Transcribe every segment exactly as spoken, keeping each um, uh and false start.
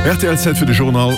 Rtl Zäit fir de Journal,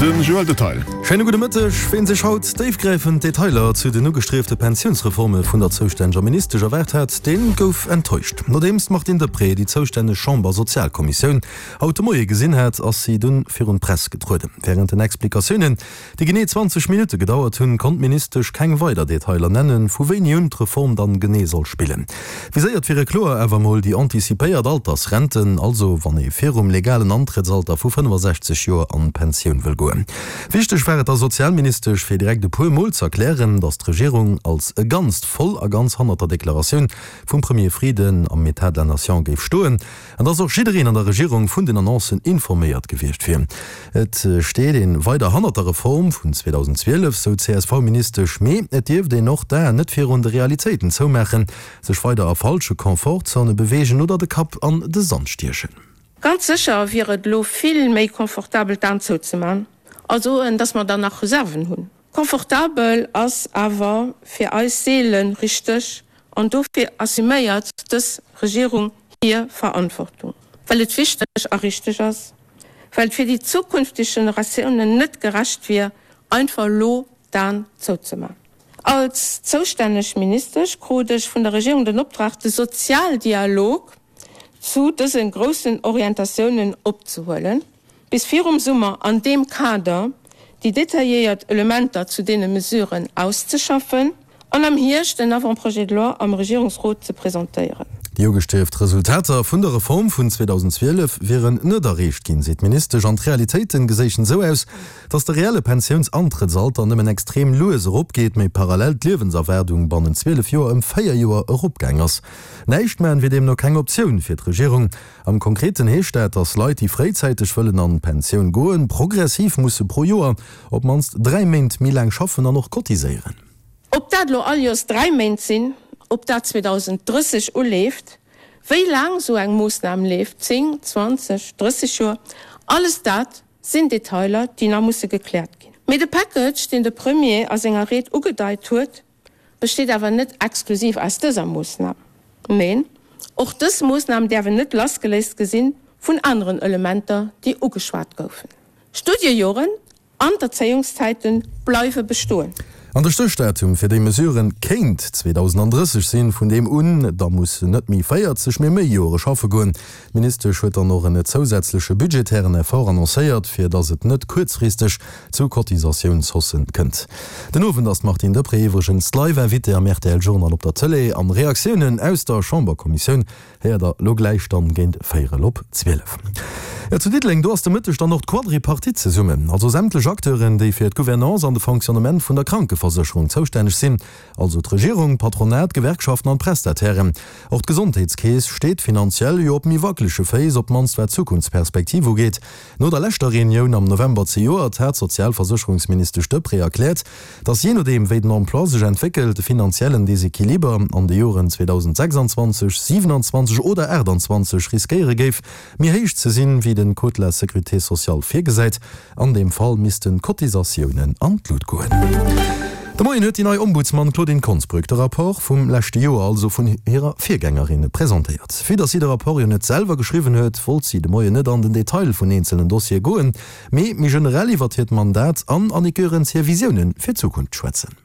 den Joël Detail. Schéine gudde Mëtteg. Ween sech haut déifgräifend Detailer zu den ugestriefte Pensiounsreforme vun der zoustänneger Ministesch erwaart hat, dee gouf enttäuscht. Nodeems d'Martine Deprez déi zoustänneg Chamber-Sozialkommissioun haut de Moie gesinn hat, ass si dunn virun d'Press getrueden. Wärend den Explikatiounen, déi genee zwanzeg Minutte gedauert hunn, konnt d'Ministesch keng weider Detailer nennen, vu wéini un d'Reform dann genee soll spillen. Viséiert wiere kloer awer mol déi antizipéiert Altersrenten, also wann ee virum legalen Antrëttsalter vu fënnefasechzeg Joer an d'Pensioun wëll goen. Wichteg war et der Sozialministesch, fir direkt e puer Mol z'erklären, datt d'Regierung als e Ganzt voll a ganz hannert der Deklaratioun vum Premier Frieden am Etat de la Nation géif stoen an datt och jiddereen an der Regierung vun den Annoncen informéiert gewiescht wier. Et steet ee weider hannert der Reform vun zweedausendzwielef, sou d'CSV-Ministesch, mee et dierft een och d'Aen net virun de Realitéiten zoumaachen, sech weider a falsche Confortzone beweegen oder de Kapp an de Sand stiechen. Ganz sécher wier et elo vill méi confortabel d'Aen zouzeman a soen, dass mer dann nach Reserven hunn. Confortabel ass awer fir eis seele richteg an dofir assuméiert dës Regierung hir Verantwortung, well et wichteg a richteg ass, well et fir déi zukünfteg Generatiounen net gerecht wier, einfach elo d'Aen zouzeman. Als zoustänneg Ministesch krut ech vun der Regierung den Optrag, de Sozialdialog zu dëse groussen Orientatiounen opzehuelen, bis virum Summer an deem Kader déi detailléiert Elementer zu deene Mesuren auszeschaffen an am Hierscht en Avant-projet de loi am Regierungsrot ze presentéieren. Déi ugestrieft Resultater vun der Reform vun zweedausendzwielef wieren net erreecht ginn, seet d'Ministesch, an d'Realitéite geséichen esou aus, datt de reelle Pensiounsantrëttsalter nëmmen extrem lues eropgeet, mee parallel d'Liewenserwaardung bannent zwielef Joer ëm véier Joer eropgaang ass. Näischt maachen wier deemno keng Optioun fir d'Regierung. Am Konkreten heescht dat, datt Leit, déi fréizäiteg wëllen an d'Pensioun goen, progressiv musse pro Joer op d'mannst dräi Méint méi laang schaffen an och cotiséieren. Ob dat elo all Joers dräi Méint sinn, ob dat zweedausendrësseg uleeft, wéi laang esou eng Moossnam leeft, zéng, zwanzeg, drësseg Joer, alles dat sinn Detailer, déi nach musse gekläert ginn. Mee de Package, deen de Premier a senger Ried ugedeit huet, besteet awer net exklusiv aus dëser Moossnam. Neen, och dës Moossnam däerf een net lassgeléist gesinn vun aneren Elementer, déi ugeschwat goufen. Studiejoren an d'Erzéiungszäite bleiwe bestoen. An de Stéchdatum fir déi Mesuren kéint zweedausendrësseg sinn, vun deem un da mussen net méi véierzeg, mee méi Jore schaffe goen. D'Ministesch huet dann och en zousätzleche budgetären Effort annoncéiert, fir datt et net kuerzfristeg zu Cotisatiounshaussen kënnt. Den Owend ass d'Martine Deprez iwwregens d'Live-Invitée am R T L Journal op der Tëlee. An Reaktiounen aus der Chamberkommissioun héiert der lo gläich dann géint véierel op zwielef. Jo, zu Diddeleng, do ass de Mëtteg dann och d'Quadripartite zesummen, also sämtlech Acteuren, déi fir d'Gouvernance an de Fonctionnement vun der Krankeversécherung zoustänneg sinn, also d'Regierung, d'Patronat, d'Gewerkschaften an d'Prestatairen. Och d'Gesondheetskeess steet finanziell jo op méi wackelege Féiss, op d'mannst wat d'Zukunftsperspektiv ugeet. No der leschter Reunioun am November zejoert hat d'Sozialversécherungsministesch Deprez erkläert, datt jee nodeem wéi den Emploi sech entwéckelt, de finanziellen Desequiliber an de Joren zweedausendsechsanzwanzeg, siewenanzwanzeg oder aachtanzwanzeg riskéiere géif, méi héich ze sinn, wéi den Code de la sécurité sociale virgesäit. An deem Fall missten d'Cotisatiounen an d'Lut goen. De Moien huet déi nei Ombudsman Claudine Konsbrück de Rapport vum leschte Joer, also vun hirer Virgängerin, presentéiert. Vue datt si de Rapport jo net selwer geschriwwen huet, wollt si de Moien net an den Detail vun eenzelnen Dossiere goen, mee méi generell iwwert hiert Mandat an Annick Goerens hir Visioune fir d'Zukunft schwätzen.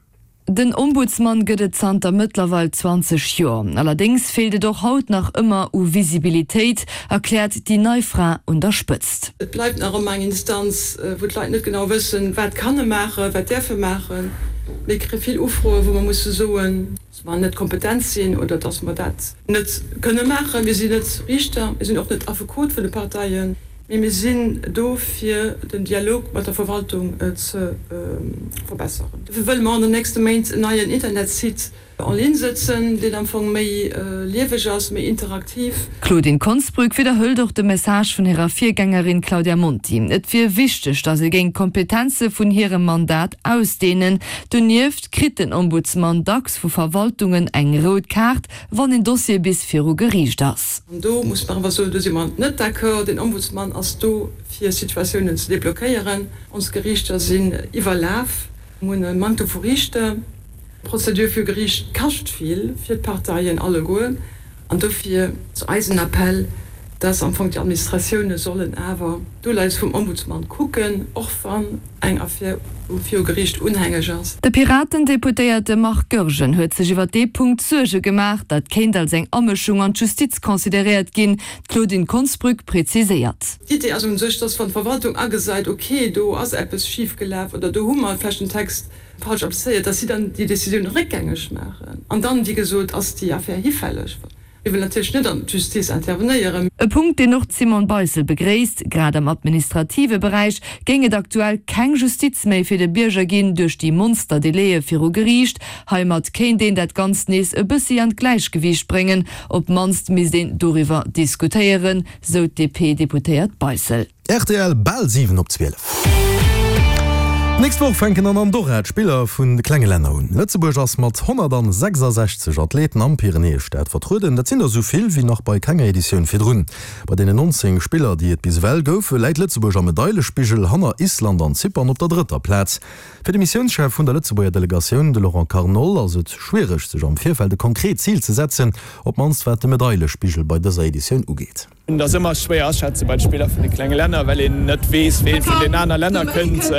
Den Ombudsman gëtt et zanter mëttlerweil zwanzeg Joer. Allerdéngs feelt et och haut nach ëmmer u Visibilitéit, erkläert déi nei Fra un der Spëtzt. Et bleift nach ëmmer eng Instanz, wou d'Leit net genau wëssen, wat kann e maachen, wat däerf e maachen. Mir kréie vill Ufroen, wou mer musse soen, dass mer net kompetent sinn oder dass mer dat net kënne maachen. Mir sinn net Riichter, mir sinn och net Affekot vun de Parteien. Mee mir sinn do fir den Dialog mat der Verwaltung ze verbesseren. Dofir wëlle mer an den nächste Méint en neien Internetsite en ligne sëtzen, deen am Fong méi lieweg ass, méi interaktiv. D'Claudine Konsbrück widderhëlt och de Message vun hirer Virgängerin Claudia Monti. Et wier wichteg, datt ee géing d'Kompetenze vun hirem Mandat ausdeenen. Donieft kritt den Ombudsman dacks vu Verwaltungen eng rout Kaart, wann een Dossier bis viru Geriicht ass. An do muss mer awer soen, do si mer net d'accord. Den Ombudsman ass do, fir Situatiounen ze deblockéieren. Ons Geriichter sinn iwwerlaf, mir hunn e Manktem vu Riichter. D'Prozedur viru Geriicht kascht vill fir d'Parteien alleguer. An dofir ass eisen Appell, dass am Fong déi Administratioune sollen awer d'Uleies vum Ombudsman kucken, och wann eng Affär viru Geriicht unhängeg ass. De Piraten-Deputéierte Marc Goergen huet sech iwwer dee Punkt Suerge gemaach, dat kéint als eng Amëschung an d'Justiz consideréiert ginn. D'Claudine Konsbrück preziséiert. D'Idee ass un sech, dass wann d'Verwaltung agesäit, ok, do ass eppes schif gelaf oder do hu mer vläicht den Text falsch applizéiert, dass si dann déi Decisioun réckgängeg maachen. An dann, wéi gesot, ass déi Affär hifälleg. Mir wëllen natierlech net an d'Justiz intervenéieren. E Punkt, deen och d'Simone Beissel begréisst, Grad am administrative Beräich géing et aktuell keng Justiz méi fir de Bierger ginn duerch déi Monster-Délaië viru Geriicht. Heimat kéint een dat Ganzt nees e bëssi an d'Gläichgewiicht bréngen. Op d'mannst misst een doriwwer diskutéieren, sou d'DP-Deputéiert Beissel. Rtl, Bal siwen op zwielef. D'nächst Woch fänken an Andorra d'Spiller vun de klenge Länner un. Lëtzebuerg ass mat honnertsechsasechzeg Athleten am Pyrenäestaat vertrueden. Dat sinn der esou vill wéi nach bei kenger Editioun virdrun. Bei deenen nonzéng Spiller, déi et bis ewell goufe, läit Lëtzebuerg am Medailespigel hanner Island an Zypern op der drëtter Plaz. Fir de Missiounschef vun der Lëtzebuerger Delegatioun, de Laurent Carnol, ass et schwiereg, sech am Virfeld e konkret Zil ze setzen, op d'mannst wat de Medailespigel bei dëser Editioun ugeet. Et ass ëmmer schwéier aschätze bei de Spiller vun de klenge Länner, well een net weess, ween vun den aner Länner kënnt.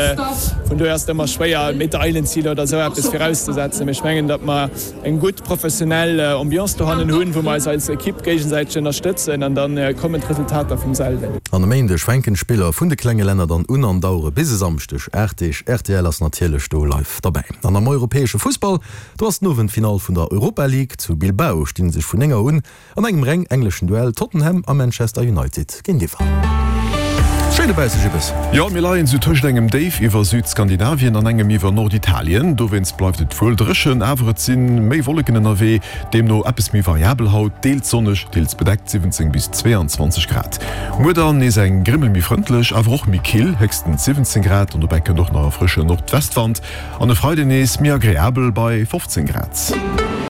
Vun dohier ass et ëmmer schwéier, Medailenziler oder esou eppes virauszesetzen. Mee ech mengen, datt mer eng gutt professionell Ambiance dohannen hunn, wou mer eis als Ekipp géigesäiteg ënnerstëtzen an da kommen d'Resultater vum selwen. An e Méindeg fänken d'Spiller vun de klenge Länner dann un an dauere bis e Samschdeg aacht Deeg. Rtl ass natierlech do live derbäi. An am europäesche Fussball, do ass den Owend d'Finall vun der Europa League. Zu Bilbao sti sech vun néng Auer un an engem reng engleschen Duell Tottenham a Manchester United géintiwwer. Schéi dobausse, Jibbes. Jo, mir leien sou tëscht engem Déif iwwer Südskandinavien an engem iwwer Norditalien. Dowéinst bleift et wuel dréchen, awer et si méi Wolleken ënnerwee, deemno eppes méi variabel haut, deels sonneg, deels bedeckt, siwwenzéng bis zweeanzwanzeg Grad. Muer dann nees eng Grimmel méi frëndlech, awer och méi kill, héchstens siwwenzéng Grad an dobäi kënnt och nach e frësche Nordwestwand. An e Freiden nees méi agreabel bei fofzéng Grad.